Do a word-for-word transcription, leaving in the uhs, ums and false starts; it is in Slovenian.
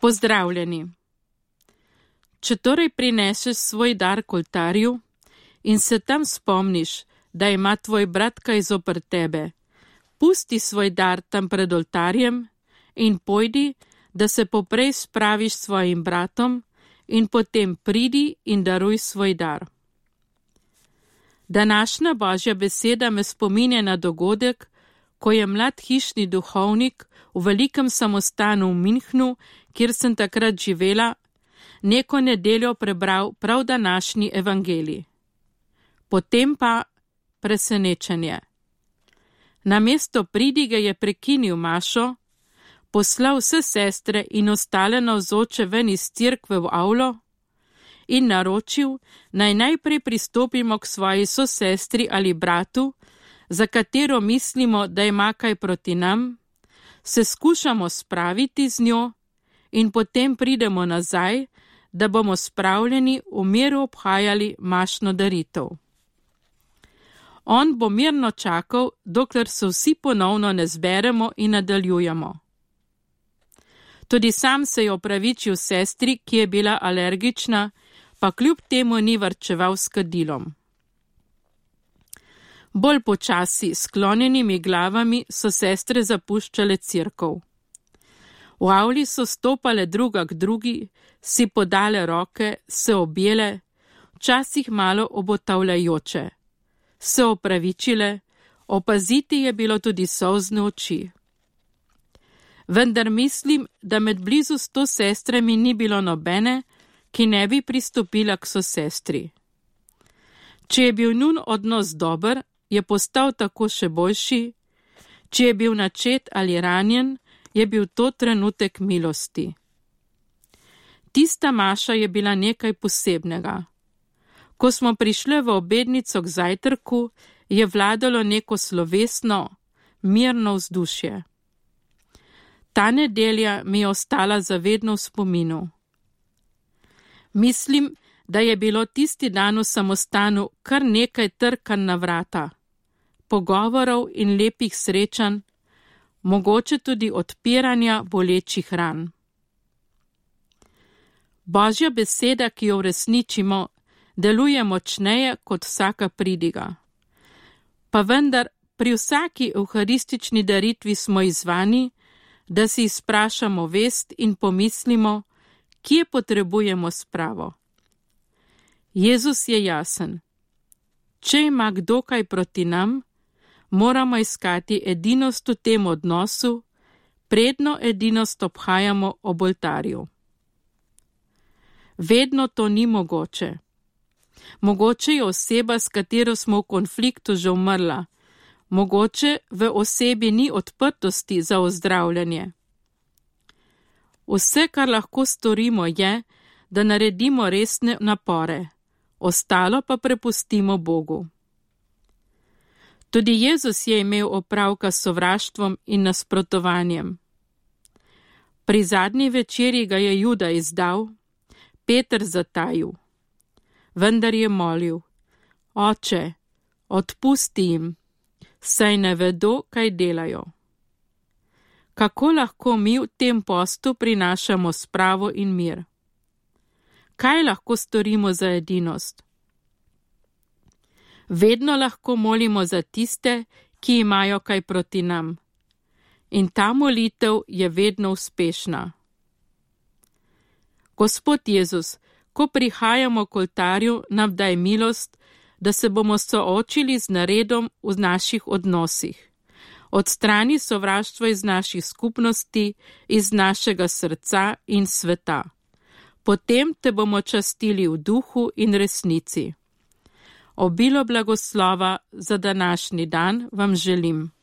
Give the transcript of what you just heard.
Pozdravljeni. Če torej prineseš svoj dar k oltarju in se tam spomniš, da ima tvoj brat kaj zoper tebe, pusti svoj dar tam pred oltarjem in pojdi, da se poprej spraviš s svojim bratom in potem pridi in daruj svoj dar. Današnja Božja beseda me spominja na dogodek, ko je mlad hišni duhovnik v velikem samostanu v Münchnu, kjer sem takrat živela, neko nedeljo prebral prav današnji evangelij. Potem pa presenečenje. Namesto pridige je prekinil mašo, poslal vse sestre in ostale navzoče ven iz cerkve v avlo in naročil, naj najprej pristopimo k svoji sosestri ali bratu, za katero mislimo, da ima kaj proti nam, se skušamo spraviti z njo in potem pridemo nazaj, da bomo spravljeni v miru obhajali mašno daritev. On bo mirno čakal, dokler se vsi ponovno ne zberemo in nadaljujemo. Tudi sam se je opravičil sestri, ki je bila alergična, pa kljub temu ni varčeval s kadilom. Bolj počasi, sklonjenimi glavami, so sestre zapuščale cerkev. V avli so stopale druga k drugi, si podale roke, se objele, včasih malo obotavljajoče. Se opravičile, opaziti je bilo tudi solzne oči. Vendar mislim, da med blizu sto sestrami ni bilo nobene, ki ne bi pristopila k sosestri. Če je bil njun odnos dober, je postal tako še boljši, če je bil načet ali ranjen, je bil to trenutek milosti. Tista maša je bila nekaj posebnega. Ko smo prišli v obednico k zajtrku, je vladalo neko slovesno, mirno vzdušje. Ta nedelja mi je ostala zavedno v spominu. Mislim, da je bilo tisti dan v samostanu kar nekaj trkanj na vrata, pogovorov in lepih srečanj, mogoče tudi odpiranja bolečih ran. Božja beseda, ki jo uresničimo, deluje močneje kot vsaka pridiga. Pa vendar pri vsaki evharistični daritvi smo izzvani, da si izprašamo vest in pomislimo, kje potrebujemo spravo. Jezus je jasen. Če ima kdo kaj proti nam, moramo iskati edinost v tem odnosu, predno edinost obhajamo ob oltarju. Vedno to ni mogoče. Mogoče je oseba, s katero smo v konfliktu, že umrla. Mogoče v osebi ni odprtosti za ozdravljanje. Vse, kar lahko storimo, je, da naredimo resne napore, ostalo pa prepustimo Bogu. Tudi Jezus je imel opravka s sovraštvom in nasprotovanjem. Pri zadnji večerji ga je Juda izdal, Peter zatajil. Vendar je molil, Oče, odpusti jim, saj ne vedo, kaj delajo. Kako lahko mi v tem postu prinašamo spravo in mir? Kaj lahko storimo za edinost? Vedno lahko molimo za tiste, ki imajo kaj proti nam. In ta molitev je vedno uspešna. Gospod Jezus, ko prihajamo k oltarju, nam daj milost, da se bomo soočili z naredom v naših odnosih. Odstrani sovraštvo iz naših skupnosti, iz našega srca in sveta. Potem te bomo častili v duhu in resnici. Obilo blagoslova za današnji dan vam želim.